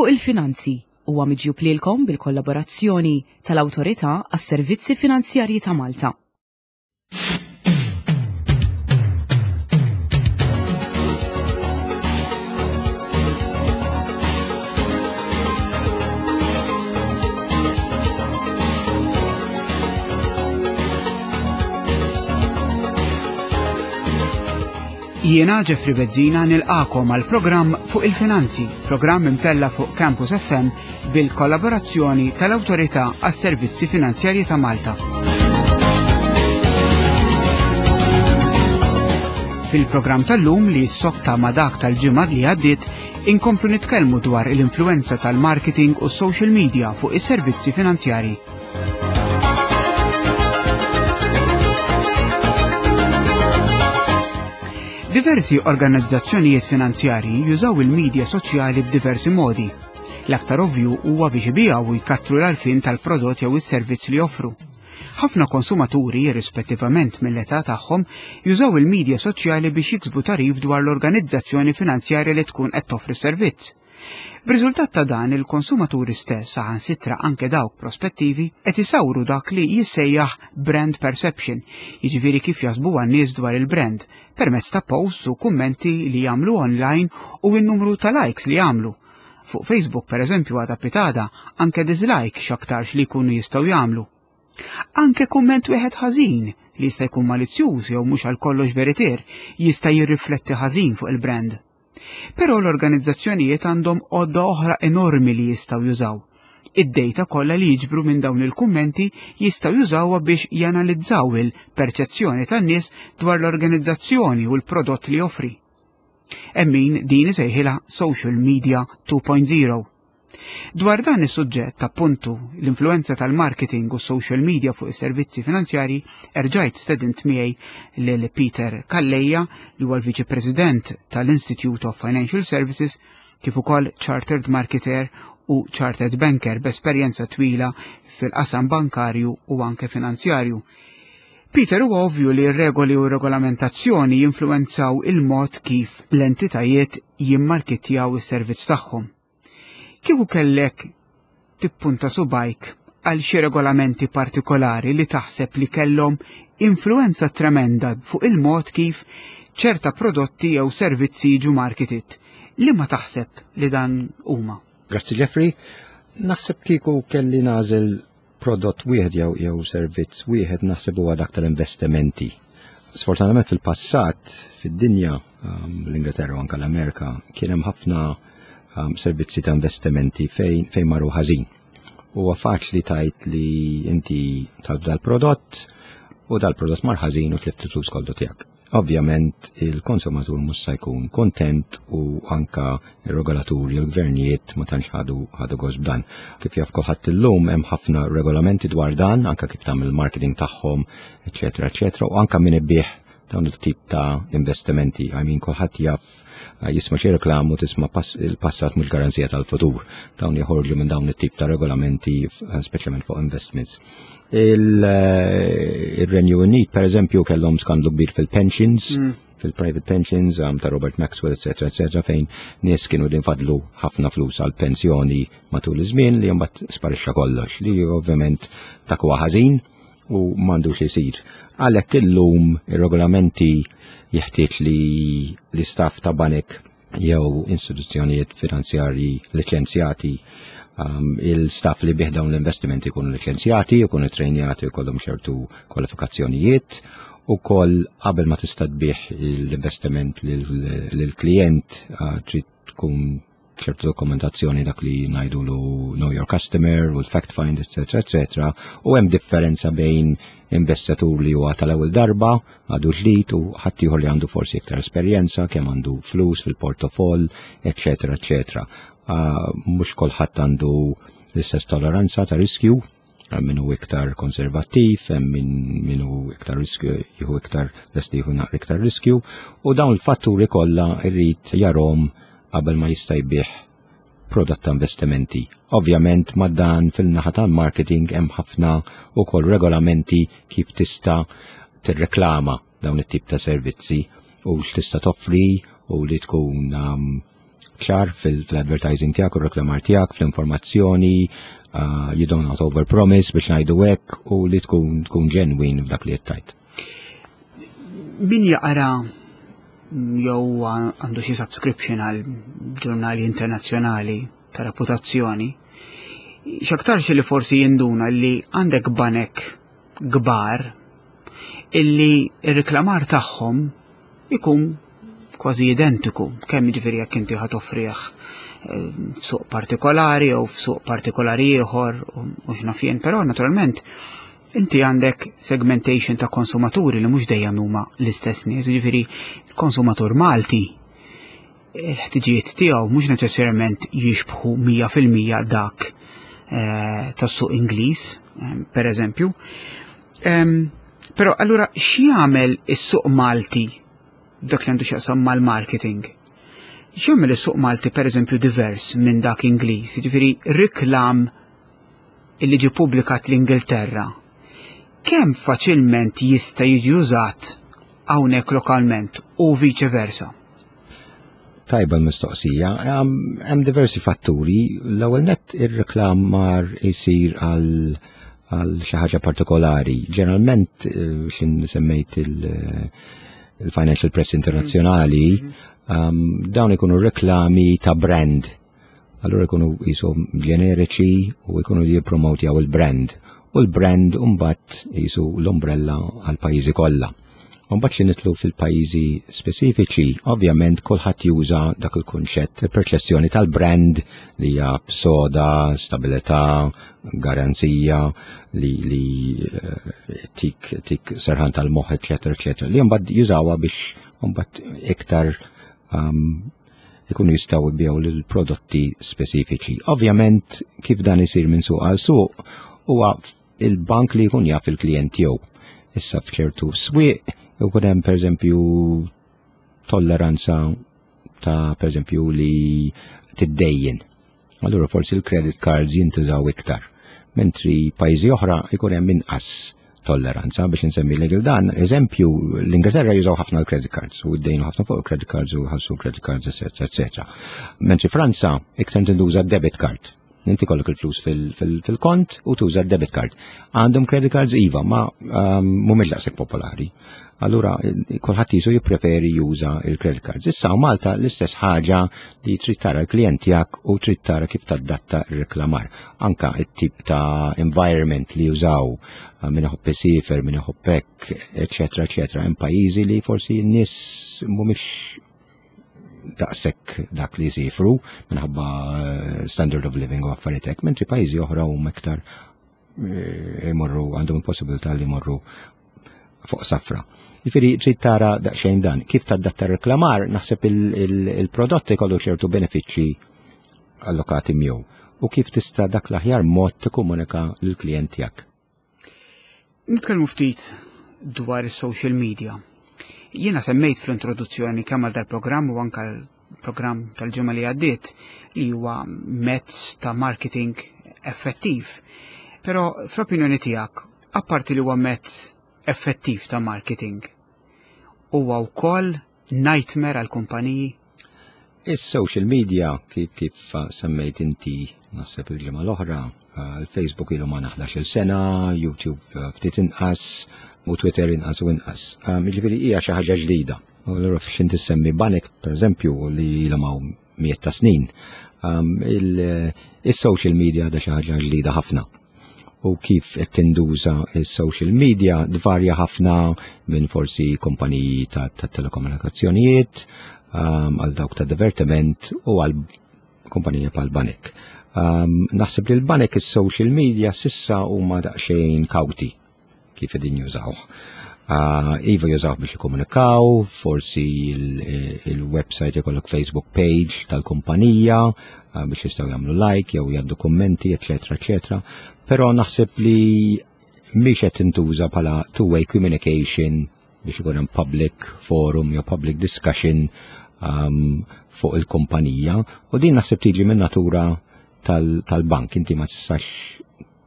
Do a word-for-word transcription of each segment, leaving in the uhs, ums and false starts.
Fuq il-Finanzi huwa miġjub lilkom bil-kollaborazzjoni tal-Awtorità għas-Servizzi Finanzjarji ta' Malta. Jiena Jeffrey Bezzina nilqakom għal programm fuq il-finanzi, programm imtella fuq Campus F M bil-kollaborazzjoni tal-Awtorità għas-Servizzi Finanzjarji ta' Malta. Fil-programm tal-lum, li ssotta ma' dak tal-ġimgħa li għaddiet, inkomplu nitkellmu dwar l-influenza tal-marketing u social media fuq is-servizzi finanzjarji. Diversi organizzazzjonijiet finanzjarji jużaw il-medja soċjali b'diversi modi. L-aktar ovvju huwa biex ibiegħu u jkattru l-għarfien tal-prodott jew is-servizz li joffru. Ħafna konsumaturi, irrispettivament mill-età tagħhom, jużaw il-medja soċjali biex jiksbu tagħrif dwar l-organizzazzjoni finanzjarja li tkun qed toffri servizz. B'riżultat ta' dan, il-konsumaturi stess, saħansitra anke dawk prospettivi, qed isawru dak li jissejjaħ brand perception, jiġifieri kif jaħsbu n-nies dwar il-brand, permezz ta' posts u kummenti li jagħmlu online u n-numru ta' likes li jagħmlu. Fuq Facebook, per eżempju, għada pitgħada, anke dislike x'aktarx li jkunu jistgħu jagħmlu. Anke kumment wieħed ħażin, li jista' jkun malizzjuż jew mhux għal kollox veritier, jista' jirrifletti ħażin fuq il-brand. Però l-organizzazzjonijiet għandhom għodda oħra enormi li jistgħu jużaw. Id-data kollha li jiġbru minn dawn il-kummenti jistgħu jużawha biex janalizzaw il-perċezzjoni tan-nies dwar l-organizzazzjoni u l-prodott li joffri. Hemm min din isejħilha Social Media two point zero. Dwar dan is-suġġett, appuntu l-influenza tal-marketing u social media fuq is-servizzi finanzjari, erġajt stedint miegħi lil Peter Calleja, li huwa l-Viċi President tal-Institute of Financial Services kif ukoll Chartered Marketer u Chartered Banker b'esperjenza twila fil-qasam bankarju u anke finanzjarju. Peter, huwa ovvju li r-regoli u regolamentazzjoni jinfluenzaw il-mod kif l-entitajiet jimmarketjaw is-servizz tagħhom. Kieku kellek tippunta subgħajk għal xi regolamenti partikolari li taħseb li kellhom influenza tremenda fuq il-mod kif ċerta prodotti jew servizzi jiġu marketed, li ma taħseb li dan huma? Grazzi, Jeffrey. Naħseb kieku kelli nagħżel prodott wieħed jew jew servizz wieħed, naħseb huwa dak tal-investimenti. Sfortunatament fil-passat fid-dinja, um, l-Ingilterra u anke l-Amerika, kien hemm ħafna um, servizzi ta' investimenti fejn fejn marru ħażin. Huwa faċli tgħid li inti tal dal-prodott u dal-prodott mar ħażin u tlift il-flus kollu tiegħek. Ovvjament il-konsumatur mhux se jkun kontent u anka ir-regolaturi u l-gvernijiet ma tantx ħadu ħadu gost b'dan. Kif jaf kulħadd illum, hemm ħafna regolamenti dwar dan, anka kif tagħmel il-marketing tagħhom, eċetera, eċetera, u anka min ibigħ dawn il-tip ta' investimenti. I mean, kulħadd jaf, eh, jisma' xi reklamu, tisma' il-passat mhux garanzija tal-futur. Dawn joħorġu minn dawn it-tip ta' regolamenti, eh, speċjalment fuq investments. Eh, Il-Renju Unit, per eżempju, kellhom skandlu kbir fil-pensions, mm. fil-private pensions um, ta' Robert Maxwell, eccetera, eccetera, fejn nies kienu din fadlu ħafna flus għal pensjoni matul iż-żmien li mbagħad sparixxa kollox, li ovvjament dak huwa ħażin u m'għandux isir. Għalhekk illum ir-regolamenti jeħtieġ li l-istaff ta' banek jew istituzzjonijiet finanzjarji liċenzjati, um, il-staff li jbigħ dawn l-investimenti jkunu liċenzjati, jkunu trejnjati, jkollhom ċertu kwalifikazzjonijiet u koll qabel ma tista' tbigħ l-investiment lill-klient uh, trid tkun ċertu dokumentazzjoni, dak li ngħidulu know your customer u l-fact find, eccetera, eccetera. U hemm differenza bejn investitur li huwa tal-ewwel darba, għadu ġdid, u ħaddieħor li għandu forsi iktar esperjenza, kemm għandu flus fil-portofoll, eccetera, eccetera. Uh, mhux kulħadd għandu l-istess toleranza ta' riskju, hemm min hu iktar konservattiv, hemm min min hu iktar riskju, jieħu iktar lest jieħu naqra iktar riskju, u dawn il-fatturi kollha irrid jarahom qabel ma jista' jbigħ prodott ta' investimenti. Ovvjament ma' dan, fil-naħa tal-marketing hemm ħafna ukoll regolamenti kif tista' tirreklama dawn it-tip ta' servizzi u x'tista' toffri u li tkun um, ċar fil-advertising tiegħek u reklamar tiegħek, fl-informazzjoni, uh, you don't not over promise biex ngħidu hekk u li tkun tkun ġenwin f'dak li qed. Min jaqra jew għandu xi subscription għal ġurnali internazzjonali ta' reputazzjoni, x'aktarx li forsi jinduna li għandek banek kbar illi ir-reklamar tagħhom ikun kważi identiku, kemm jiġifieri jekk inti ħa toffrih eh, f'suq partikolari jew f'suq partikolari ieħor u x'naf jien, però naturalment inti għandek segmentation ta' konsumaturi li mhux dejjem huma l-istess nies, jiġifieri l-konsumatur Malti il-ħtiġijiet tiegħu mhux neċessarjament jixbħu mija fil-mija dak eh, tas-suq Ingliż, eh, per eżempju. Però allura x'jagħmel is-suq Malti dak li għandu x'jaqsam mal-marketing? X'jagħmel is-suq Malti, per eżempju, divers minn dak Ingliż? Jiġifieri reklam illi ġi publikat l-Ingilterra, kemm faċilment jista' jiġi użat hawnhekk lokalment u viċe versa? Tajba l-mistoqsija. Hemm diversi fatturi. L-ewwel nett, ir-reklamar isir għal għal xi ħaġa partikolari. Ġeneralment, eh, xin semmejt il-Financial Press Internazzjonali, mm-hmm. dawn ikunu reklami ta' brand. Allura ikunu jisom ġeneriċi u ikunu jippromotjaw il-brand. U l-brand mbagħad jisu l-umbrella għal pajjiżi kollha. Mbagħad xi nidħlu fil-pajjiżi speċifiċi, ovvjament kulħadd juża dak il-kunċett, il-perċezzjoni tal-brand li hija soda, stabilità, garanzija, li, li eh, tik, tik serħan tal-moħħ, eċetera, eċetera, li mbagħad jużawha biex mbagħad iktar um, ikunu jistgħu jbigħu l-prodotti speċifiċi. Ovvjament, kif dan isir minn suq għal suq, huwa il-bank li jkun jaf il-klient tiegħu. Issa f'ċertu swieq ikun hemm, pereżempju, tolleranza ta', pereżempju, li tiddejjen. Allura forsi l-credit cards jintużaw iktar. Mentri pajjiżi oħra ikun hemm inqas tolleranza. Biex nsemmi l dan, eżempju, l-Ingilterra jużaw ħafna l-credit cards u ddejnu ħafna fuq il-credit cards u ħalsu credit cards, eccetera, eccetera. Mentri Franza iktar tintuża debit card. Inti kollok il-flus fil-kont u tuża debit card. Għandhom credit cards, iva, ma um, mhumiex daqshekk popolari. Allura kulħadd jisu jippreferi juża il-credit cards. Issa u Malta l-istess ħaġa, li trid tara l-klient tiegħek u trid tara kif tadatta r-reklamar. Anka it-tip ta' environment li jużaw, min iħobb isiefer, min iħobb hekk, eċetera, eċetera. Hemm pajjiżi li forsi n-nies mhumiex daqshekk dak li jsifru minħabba eh, standard of living u affarijiet hekk, mentri pajjiżi oħra huma iktar eh, imorru, għandhom il-possibilità li jmorru fuq safra. Jiġifieri trid tara daqsxejn dan. Kif tadatta reklamar, naħseb il-prodotti kollu ċertu benefiċċji allokati miegħu u kif tista' dak l-aħjar mod tikkomunika lill-klient tiegħek. Nitkellmu ftit dwar is-social media. Jiena semmejt fl-introduzzjoni kemm għal dal-programm u anka l-programm tal-ġimgħa li għaddiet li huwa mezz ta' marketing effettiv. Però fl-opinjoni tiegħek, apparti li huwa mezz effettiv ta' marketing, huwa wkoll nightmare għal kumpaniji? Is-social media, kif, kif semmejt inti naħseb il-ġimgħa l-oħra, il-Facebook ilu ma ħdax-il sena, YouTube ftit inqas, u Twitter inqas u inqas. Jiġifieri hija xi ħaġa ġdida. U allura f'xin tissemmi banek, per eżempju, li ilhom hawn mijiet ta' snin, il-social media da xi ħaġa ġdida ħafna. U kif qed tinduża il-social media dvarja ħafna minn forsi kumpaniji ta', ta telekomunikazzjonijiet għal dawk ta' divertiment u għal kumpanija bħal banek. Um, naħseb li l-banek is-social media s'issa huma daqsxejn kawti kif qegħdin jużawh. Uh, iva jużawh biex jikkomunikaw, forsi il-website ikollok Facebook page tal-kumpanija uh, biex jistgħu jagħmlu like jew jgħaddu kummenti, eċetera, eċetera. Però naħseb li mhix qed tintuża bħala two-way communication biex ikun hemm public forum jew public discussion um, fuq il-kumpanija, u din naħseb tiġi minn natura tal-bank. Inti ma tistax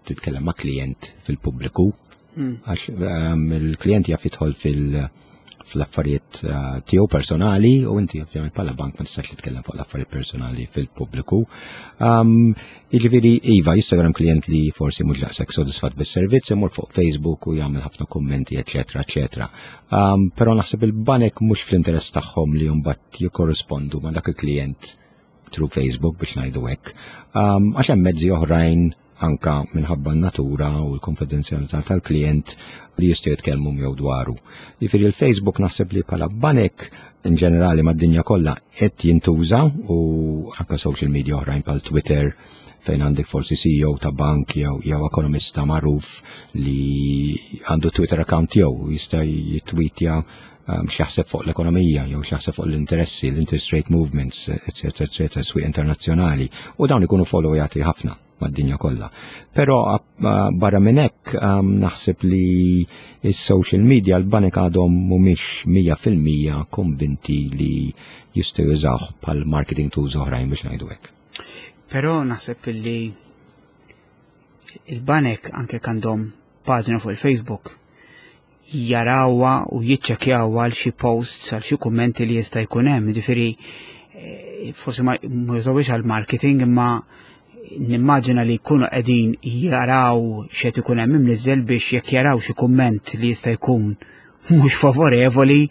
titkellem ma' klient fil-pubbliku għax um, il-klient jaf jidħol fil- fl-affarijiet eh, tiegħu personali u inti ovvjament bħala bank ma tistax titkellem fuq l-affarijiet personali fil-pubbliku. Um, Jiġifieri iva, jista' jkun hemm klient li forsi mhux daqshekk sodisfatt bis-servizz, imur fuq Facebook u jagħmel ħafna kummenti, eċetera, eċetera. Um, Però naħseb il-banek mhux fl-interess tagħhom li mbagħad jikkorrispondu ma' dak il-klient through Facebook, biex ngħidu hekk. Um, Għax hemm mezzi oħrajn, anka minħabba n-natura u l-konfidenzjalità tal-klient, li jistgħu jitkellmu miegħu dwaru. Jiġifieri il-Facebook naħseb li bħala banek in ġenerali mad-dinja kollha qed jintuża, u anka social media oħrajn bħal Twitter, fejn għandek forsi C E O ta' bank jew jew ekonomista magħruf li għandu Twitter account tiegħu, jista' jittweetja um, x'jaħseb fuq l-ekonomija jew x'jaħseb fuq l-interessi, l-interest rate movements, eccetera, eccetera, swieq internazzjonali. U dawn ikunu followjati ħafna mad-dinja kollha. Però uh, barra minn hekk um, naħseb li is-social media l-banek għadhom mhumiex mija fil-mija konvinti li jistgħu jużawh bħal marketing tools oħrajn, biex ngħidu hekk. Però naħseb li il-banek, anke għandhom paġna fuq il-Facebook, jarawha u jiċċekjawha għal xi posts, għal xi kummenti li jista' jkun hemm, ġifieri eh, forsi ma jużawhiex għal marketing, imma nimmaġina li jkunu qegħdin jaraw x'qed ikun hemm imniżżel biex jekk jaraw xi kumment li jista' jkun mhux favorevoli,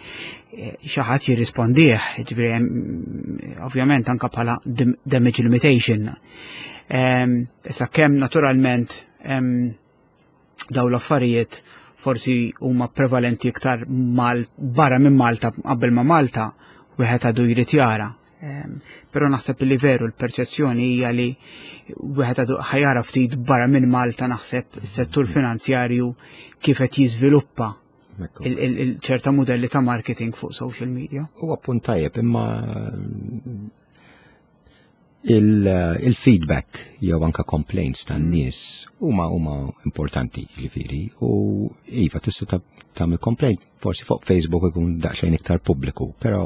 eh, xi ħadd jirrispondih, ġifieri ovvjament anka bħala damage limitation. Issa kemm naturalment daw l-affarijiet forsi huma prevalenti iktar mal barra minn Malta qabel ma Malta, wieħed għadu jrid jara. Però naħseb li veru l-perċezzjoni hija li wieħed għadu ħa jara ftit barra minn Malta, naħseb, is-settur finanzjarju kif qed jiżviluppa il-ċerta modelli ta' marketing fuq social media. Huwa punt tajjeb, imma il-feedback jew anka complaints tan-nies huma huma importanti, ġifieri, u iva, tista' tagħmel complaint forsi fuq Facebook, ikun daqsxejn iktar pubbliku, però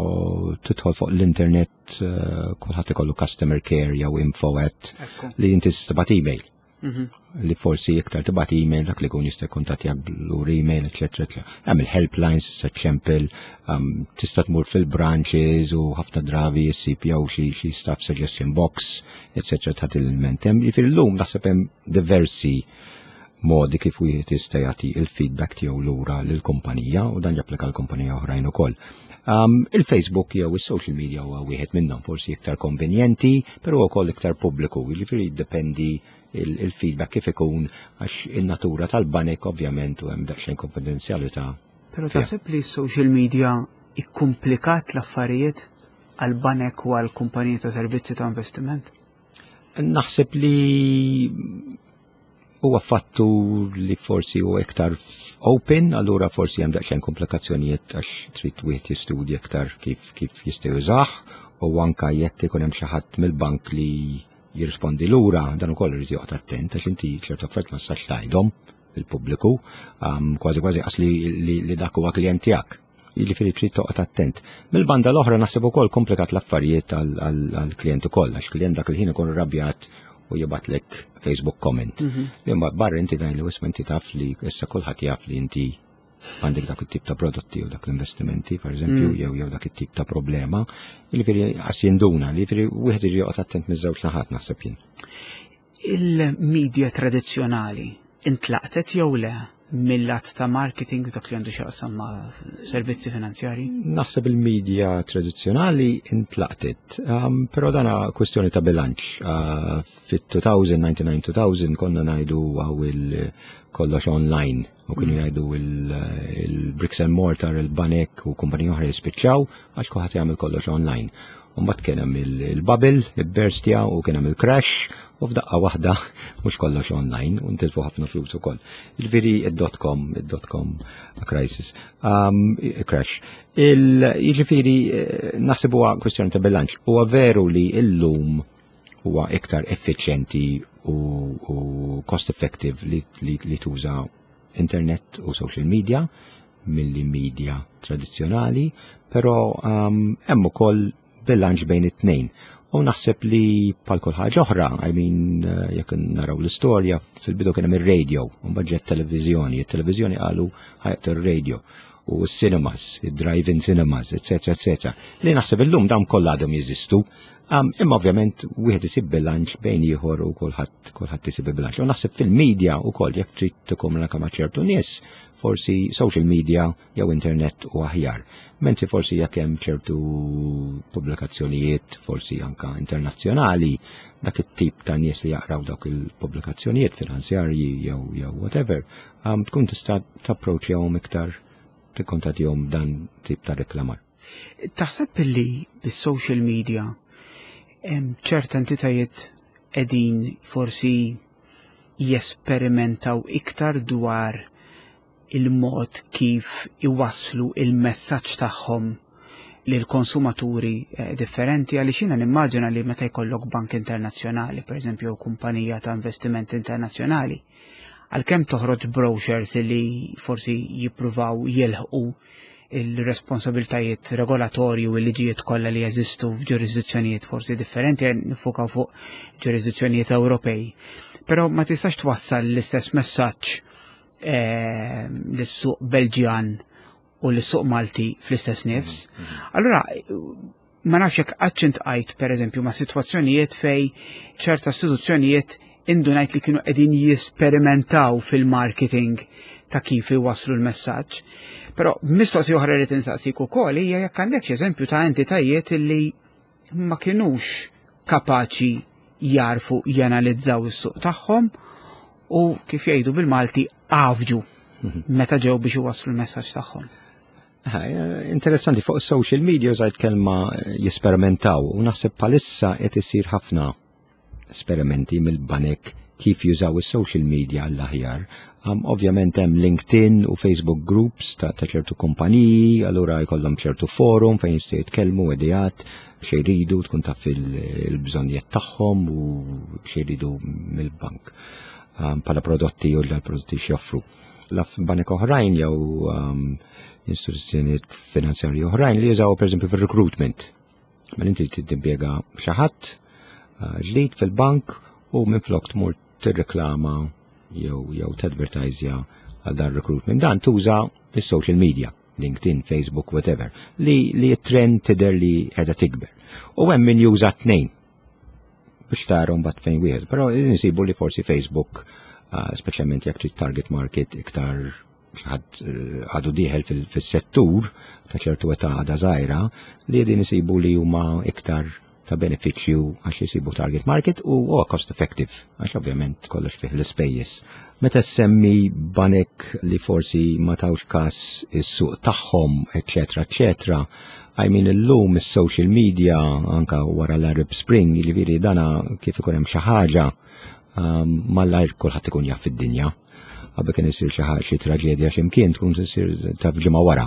tidħol fuq l-internet, eh, kulħadd ikollu customer care jew info at li inti tibgħat email. Mhm. Li forsi iktar tibgħat email, dak li jkun jista' jkuntattjak lura email, eċetera, eċetera. Hemm il-helplines, se ċempel, um, tista' tmur fil-branches u ħafna drabi ssib jew xi xi staff suggestion box, eċetera, ta' il-ment. Hemm, jiġifieri, llum naħseb hemm diversi modi kif wieħed jista' jagħti il-feedback tiegħu lura lill-kumpanija, u dan japplika l-kumpanija oħrajn ukoll. Um, il-Facebook jew is-social media huwa wieħed minnhom, forsi iktar konvenjenti, però wkoll iktar pubbliku, jiġifieri jiddependi il-feedback kif ikun, għax in-natura tal-banek ovvjament u hemm daqsxejn konfidenzjalità. Però taħseb li s-social media ikkumplikat l-affarijiet għal-banek u għal-kumpaniji ta' servizzi ta' investiment? Naħseb li huwa fattur li forsi huwa iktar open, allura forsi hemm daqsxejn komplikazzjonijiet għax trid wieħed jistudja iktar kif kif jista' jużah, u anka jekk ikun hemm xi ħadd mill-bank li jirrispondi lura, dan ukoll irid joqgħod attent għax inti ċertu affarijiet ma tistax tgħidhom il-pubbliku, um, kważi kważi qas li, li, li dak huwa klient tiegħek. Jiġifieri trid toqgħod attent. Mill-banda l-oħra naħseb ukoll komplikat l-affarijiet għall-klient ukoll, għax klient dak il-ħin ikun rrabjat u jibgħatlek Facebook comment. Li mbagħad barra inti tgħidlu, "Isma', inti taf li issa kulħadd jaf li inti għandek dak it-tip ta' prodotti u dak l-investimenti, per eżempju, jew jew dak it-tip ta' problema." Jiġifieri qas jinduna, jiġifieri wieħed irid joqgħod attent miż-żewġ naħat, naħseb jien. Il-media tradizzjonali intlaqtet jew le mill-lat ta' marketing u dak li għandu x'jaqsam ma' servizzi finanzjari? Naħseb il-media tradizzjonali intlaqtet, um, però dana kwestjoni ta' bilanċ. Uh, Fit-elfejn, disgħa u disgħin-elfejn konna ngħidu għaw il-kollox online u kienu jgħidu il-bricks and mortar, il-banek u kumpaniji oħra jispiċċaw għax kulħadd jagħmel kollox online. U mbagħad kien hemm il-bubble, il-burst u kien hemm il-crash u f'daqqa waħda mhux kollox online u ntilfu ħafna flus ukoll. Il-veri id-dot com, id-dot com crisis, um, crash. Jiġifieri naħseb huwa kwestjoni ta' bilanċ. Huwa veru li illum huwa iktar effiċjenti u, u cost effective li, li, li tuża internet u social media milli media tradizzjonali, però um, hemm ukoll bilanċ bejn it-tnejn. U naħseb li bħal kull ħaġa oħra, I mean, jekk naraw l-istorja, fil-bidu kien hemm ir-radio, u mbagħad ġiet televiżjoni, it-televiżjoni qalu ħa joqtol ir-radio. U cinemas, drive-in cinemas, eccetera, eccetera. Li naħseb illum dawn kollha għadhom jeżistu. Um, imma ovvjament wieħed isib bilanċ bejn ieħor u kulħadd kulħadd isib bilanċ. U naħseb fil-media wkoll, jekk trid tikkomunika ma' ċertu nies, forsi social media jew internet u aħjar. Mentri forsi jekk hemm ċertu pubblikazzjonijiet, forsi anka internazzjonali, dak it-tip ta' nies li jaqraw dawk il-pubblikazzjonijiet finanzjarji jew jew whatever, um, tkun tista' tapproċċjahom iktar, tikkontattjahom dan tip ta' reklamar. Taħseb li bis-social media ċerta entitajiet qegħdin forsi jesperimentaw iktar dwar il-mod kif iwasslu il-messaġġ tagħhom lil konsumaturi eh, differenti? Għaliex jiena nimmaġina li meta jkollok bank internazzjonali, per eżempju, kumpanija ta' investiment internazzjonali, għalkemm toħroġ brochures li forsi jippruvaw jilħqu il-responsabiltajiet regolatorju u l-liġijiet kollha li jeżistu f'ġurisdizzjonijiet forsi differenti, nifukaw fuq ġurisdizzjonijiet Ewropej. Però ma tistax twassal l-istess messaġġ eh, lis-suq Belġjan u l-suq Malti fl-istess nifs. Mm-hmm. Allura, ma nafx jekk qattx iltqajt, per eżempju, ma' situazzjonijiet fej ċerta istituzzjonijiet indunajt li kienu qegħdin jesperimentaw fil-marketing ta' kif iwasslu l-messaġġ. Però mistoqsija oħra li tinsaqsik ukoll hija jekk għandek eżempju ta' entitajiet li ma kinux kapaċi jarfu janalizzaw is-suq tagħhom u, kif jgħidu bil-Malti, għafġu mhm. meta ġew biex iwasslu l-messaġġ tagħhom. Interessanti, fuq social media użajt kelma jesperimentaw u naħseb bħalissa qed isir ħafna esperimenti mill-banek kif jużaw is-social media għall-aħjar. Um, ovvjament hemm LinkedIn u Facebook groups ta' ċertu kumpaniji, allura jkollhom ċertu forum fejn jistgħu jitkellmu ideat xi jridu, tkun taf il-bżonnijiet tagħhom u xi jridu mill-bank um, bħala prodotti u l-prodotti x'joffru. Laf banek oħrajn jew um, istituzzjonijiet finanzjarji oħrajn li jużaw, pereżempju, fir-recruitment. Mela inti timpjega xi ħadd uh, ġdid fil-bank u minflok tmur tirreklama jew jew tadvertisja għal dan recruitment, dan tuża is-social media, LinkedIn, Facebook, whatever, li li trend tidher li qiegħda tikber. U hemm min juża tnejn biex tara mbagħad fejn wieħed, però nsibu li forsi Facebook, uh, speċjalment jekk trid target market iktar ħadd eh, għadu dieħel fil-settur ta' ċertu età għada żgħira, li din isibu li huma iktar ta' benefiċċju għax jisibu target market u huwa cost effective, għax ovvjament kollox fih l-ispejjeż. Meta semmi banek li forsi ma tawx kas is-suq tagħhom, eċetera, eċetera, I mean, illum is-social media, anka wara l-Arab Spring, jiġifieri dana kif ikun hemm xi ħaġa um, malajr kulħadd ikun jaf fid-dinja. Qabel kien isir xi xi traġedja x'imkien, tkun isir taf ġimgħa wara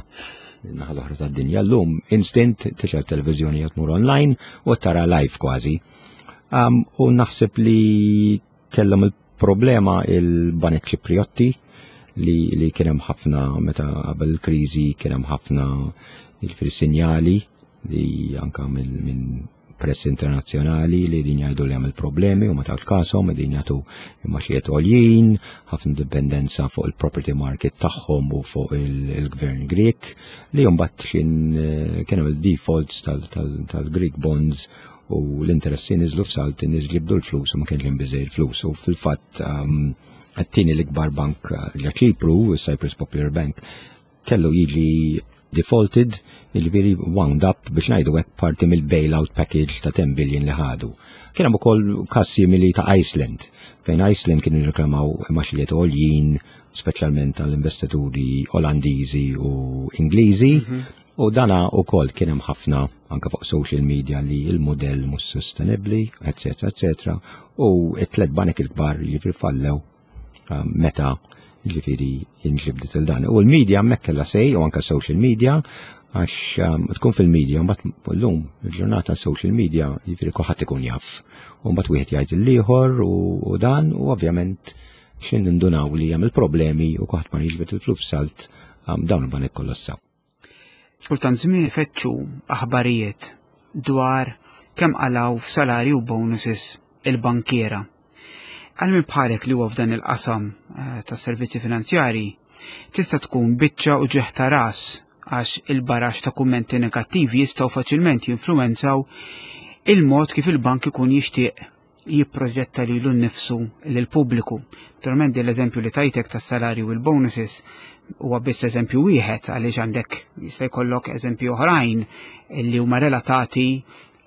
naħa l-oħra tad-dinja. Llum instant tixgħel televiżjoni jew tmur online u tara live kważi. Um, u naħseb li kellhom il-problema il-banek Ċipriotti li, li kien hemm ħafna meta qabel il-kriżi kien hemm ħafna il-sinjali li anka minn press internazzjonali li din jgħidu li hemm problemi u ma tawx kasom, din jagħtu imgħaxijiet għoljin, ħafna dipendenza fuq il-property market tagħhom u fuq il-gvern Grek, li mbagħad xin eh, kien hemm il-defaults tal-Greek bonds u l-interessi niżlu f'salt, nies ġibdu l-flus u ma kienx hemm biżejjed flus u fil-fatt um, għat-tieni l-ikbar bank ġa Ċipru, Cyprus Popular Bank, kellu jiġi defaulted, jiġifieri wound up, biex ngħidu hekk, parti mill-bailout package ta' ten billion li ħadu. Kien hemm ukoll każ simili ta' Iceland, fejn Iceland kienu jirreklamaw imgħaxijiet għoljin, speċjalment għall-investituri Olandiżi u Ingliżi, mhm. u dana ukoll kien hemm ħafna anka fuq social media li il-modell mhux sostenibbli, eċetera, eċetera, u it-tlet banek il-kbar jiġifieri fallew um, meta ġifieri inġibdet il-dan. U l-media hemmhekk kellha say u anka social media, għax um, tkun fil-media, mbagħad llum il-ġurnata social media, jiġifieri kulħadd ikun jaf. U mbagħad wieħed jgħid il-ieħor u dan u ovvjament xin nindunaw li hemm il-problemi u kulħadd ma jiġbed il-flus salt, um, dawn il-banek kollassaw. Kultant żmien ifettxu aħbarijiet dwar kemm qalgħu f'salarju u bonuses il-bankiera. Għal min bħalek li huwa f'dan il-qasam eh, tas servizzi finanzjari, Tista' tkun biċċa uġigħ ta' ras għax il-barax ta' kummenti negattivi jistgħu faċilment jinfluwenzaw il-mod kif il-bank ikun jixtieq jipproġetta lilu nnifsu lill-pubbliku. Naturalment l-eżempju li tajtek tas-salarju u l-bonuses huwa biss eżempju wieħed, għaliex għandek, jista' jkollok eżempju oħrajn li huma relatati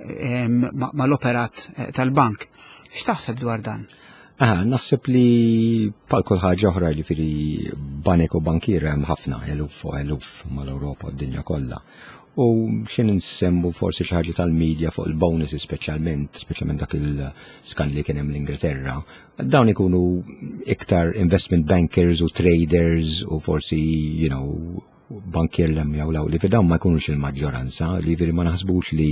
mal-operat eh, tal-bank. X'taħseb dwar dan? Aha, naħseb li bħal kull ħaġa oħra li firi banek u bankier hemm ħafna, eluf u eluf mal-Ewropa u d-dinja kollha. U xin nsemmu forsi xi ħaġa tal-medja fuq il-bonuses speċjalment, speċjalment dak il-skandli kien hemm l-Ingilterra, dawn ikunu iktar investment bankers u traders u forsi, you know, bankier lem jew law li dawn ma jkunux il-maġġoranza, li veri ma naħsbux li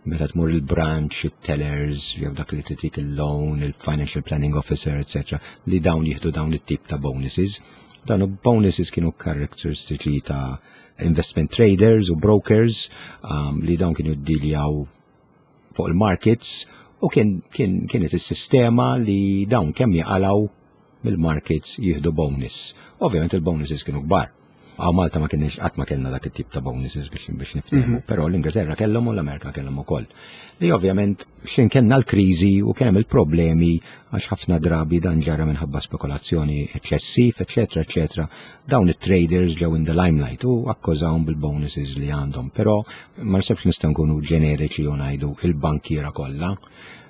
meta tmur il-branch, il-tellers, jew dak li titik il-loan, il-financial planning officer, et cetera, li dawn jieħdu dawn it-tip ta' bonuses. Dawn bonuses kienu karakteristiċi ta' investment traders u brokers um, li dawn kienu ddiljaw fuq il-markets u kien, kien, kienet is-sistema li dawn kemm jaqalaw mill-markets jieħdu bonus. Ovvjament il-bonuses kienu kbar. Hawn Malta ma kienx, qatt ma kellna dak it-tip ta' bonuses biex biex niftehmu, mm -hmm. però l-Ingilterra kellhom u l-Amerika kellhom ukoll. Li ovvjament x'ħin kellna l-kriżi u kien hemm il-problemi, għax ħafna drabi dan ġara minħabba spekulazzjoni eċċessiv, eċetera, eċetera. Dawn it-traders ġew in the limelight u akkużawhom bil-bonuses li għandhom, però ma naħsibx nistgħu nkunu ġeneriċi u ngħidu il-bankiera kollha.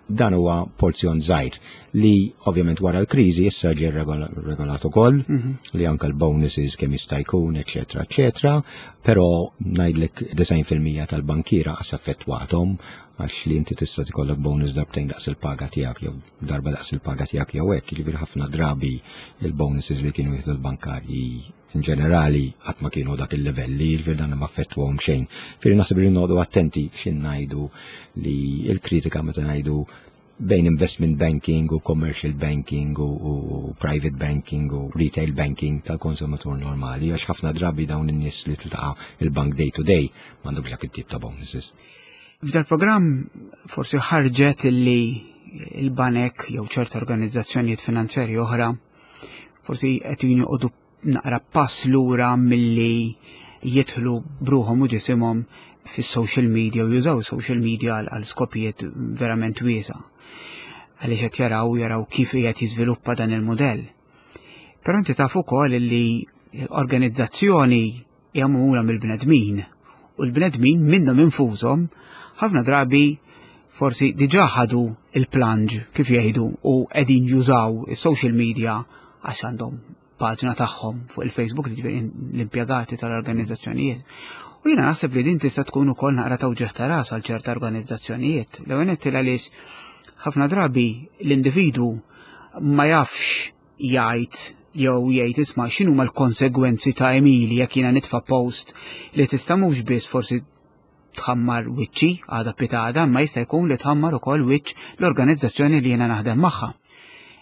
Dan huwa porzjon żgħir li ovvjament wara l-kriżi issa ġie regolat ukoll mhm. li anke l-bonuses kemm jista' jkun, eċetera, eċetera, però ngħidlek disgħin fil-mija tal-bankiera qas affettwathom, għax li inti tista' tikollok bonus darbtejn daqs il-paga tiegħek jew darba daqs il-paga tiegħek jew hekk, jiġifieri ħafna drabi il-bonuses li kienu jieħdu l-bankarji in ġenerali qatt ma kienu dak il-livelli, jiġifieri dan ma affettwahom xejn. Firri naħseb li noqogħdu attenti x'in ngħidu li il-kritika meta ngħidu bejn investment banking u commercial banking u, u private banking u retail banking tal-konsumatur normali, għax ħafna drabi dawn in-nies li tiltaqa' il-bank day to day m'għandhomx dak it-tip ta' bonuses. F'dal programm forsi ħarġet li il-banek jew ċerta organizzazzjonijiet finanzjarji oħra forsi qed joqogħdu naqra pass lura milli jidħlu b'ruħhom u ġisimhom fis-social media u jużaw social media għal skopijiet verament wiesa'. Għaliex qed jaraw jaraw kif qiegħed jiżviluppa dan il-modell. Però inti taf ukoll li organizzazzjoni hija magħmula mill-bnedmin u l-bnedmin minnhom infushom ħafna drabi forsi diġà ħadu il-plunge, kif jgħidu, u qegħdin jużaw is-social media għax għandhom paġna tagħhom fuq il-Facebook, ġifieri l-impjegati tal-organizzazzjonijiet. U jiena naħseb li din tista' tkun ukoll naqra ta' uġigħ ta' ras għal ċerta organizzazzjonijiet. L-ewwel għaliex ħafna drabi l-individwu ma jafx jgħid jew jgħid, "Isma', x'inhuma l-konsegwenzi ta' għemili jekk jiena nitfa' post li tista' mhux biss forsi tħammar wiċċi għada pitgħada, ma jista' jkun li tħammar ukoll wiċċ l-organizzazzjoni li jiena naħdem magħha."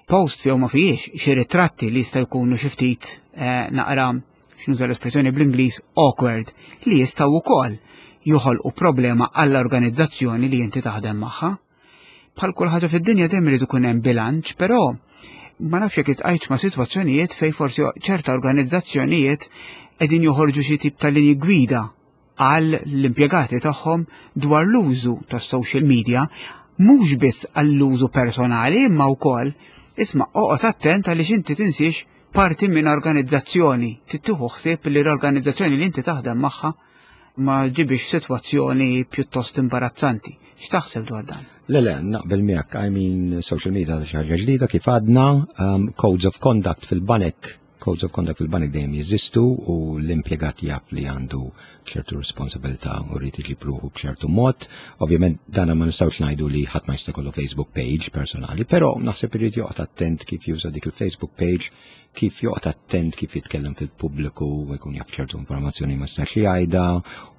Post jew ma fijiex xi ritratti li jista' jkunu xi ftit eh, naqra, x'nuża l-espressjoni bl-Ingliż, awkward, li jistgħu wkoll joħolqu problema għall-organizzazzjoni li inti taħdem magħha. Bħal kull ħaġa fid-dinja dejjem irid ikun hemm bilanċ, però ma nafx jekk iltqajtx ma' sitwazzjonijiet fejn forsi ċerta organizzazzjonijiet qegħdin joħorġu xi tip ta' linji gwida għal l-impjegati tagħhom dwar l-użu tas-social media, mhux biss għall-użu personali imma wkoll, "Isma', oqgħod attent għaliex inti tinsiex parti minn organizzazzjoni, tieħu ħsieb li l-organizzazzjoni li inti taħdem magħha ma ġibix sitwazzjoni pjuttost imbarazzanti." X'taħseb dwar dan? Le, le, naqbel miegħek. I mean, social media xi ħaġa ġdida kif għadna, um, codes of conduct fil-banek, codes of conduct fil-banek dejjem jeżistu u l-impjegat jaf li għandu ċertu responsabilità u jrid iġib ruħu b'ċertu mod. Ovvjament dana ma nistgħux ngħidu li ħadd ma jista' jkollu Facebook page personali, però naħseb irid joqgħod attent kif juża dik il-Facebook page, kif joqgħod attent kif jitkellem fil-pubbliku u jkun jaf ċertu informazzjoni ma jistax jgħidha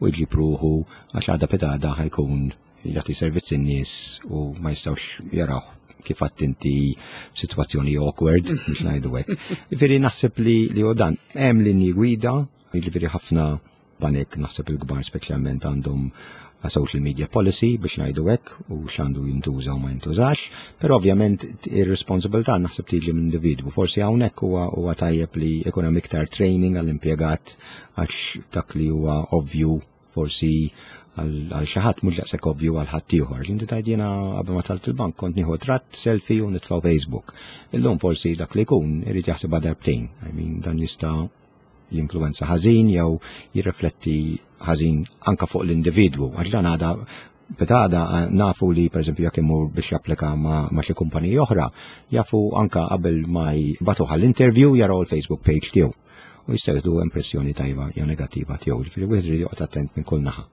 u jġib ruħu, għax għada pitgħada ħa jkun jagħti servizz in-nies u ma jistgħux jaraw kif inti f'sitwazzjoni awkward, biex ngħidu hekk. Jiġifieri naħseb li li u dan hemm linji gwida, jiġifieri ħafna banek, naħseb il-kbar speċjalment, għandhom a social media policy biex ngħidu hekk u x'għandu jintuża u ma jintużax, però ovvjament ir-responsabilità naħseb tiġi minn individwu. Forsi hawnhekk huwa huwa tajjeb li jkun hemm iktar training għall-impjegat, għax dak li huwa ovvju forsi għal xi ħadd mhux daqshekk ovvju għal ħadd ieħor. Inti tgħid, jiena qabel ma dħalt il-bank kont nieħu ritratt selfie u nitfgħu Facebook. Illum forsi dak li jkun irid jaħseb darbtejn. I mean, dan jista' jinfluwenza ħażin jew jirrifletti ħażin anka fuq l-individwu. Għax dan għada pitgħada nafu li, per eżempju, jekk imur biex japplika ma, ma xi kumpaniji oħra, jafu anka qabel ma jibagħtuh għall-interview jaraw il-Facebook page tiegħu u jistgħu jieħdu impressjoni tajba jew negattiva tiegħu. Ġifieri wieħed irid joqgħod attent minn kull naħa.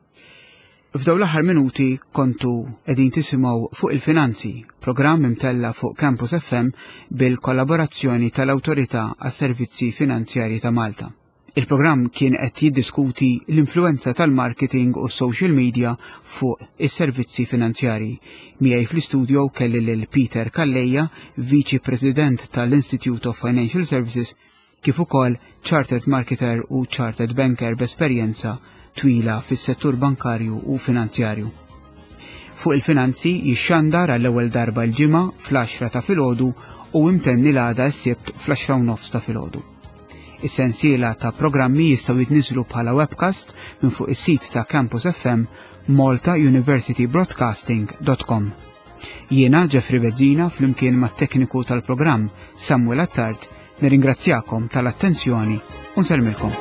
F'dawn l-aħħar minuti kontu qegħdin tisimgħu Fuq il-Finanzi, programm imtella fuq Campus F M bil-kollaborazzjoni tal-Awtorità għas-Servizzi Finanzjarji ta' Malta. Il-programm kien qed jiddiskuti l-influenza tal-marketing u social media fuq is-servizzi finanzjarji. Miegħi fl-istudio kelli lil Peter Calleja, Viċi President tal-Institute of Financial Services, kif ukoll Chartered Marketer u Chartered Banker b'esperjenza twila fis-settur bankarju u finanzjarju. Fuq il-Finanzi jixxandar għall-ewwel darba l-Ġimgħa fl-għaxra ta' filgħodu u imtenni l-għada s-Sibt fl-għaxra u nofs ta' filgħodu. Is-sensiela ta' programmi jistgħu jitniżlu bħala webcast minn fuq is-sit ta' Campus F M, malta university broadcasting dot com. Jiena Jeffrey Bezzina, flimkien mat-tekniku tal-programm Samuel Attard, nirringrazzjakom tal-attenzjoni u nsellmilkom.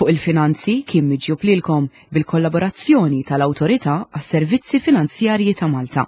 Fuq il-Finanzi kien miġjub lilkom bil-kollaborazzjoni tal-Awtorità għas-Servizzi Finanzjarji ta' Malta.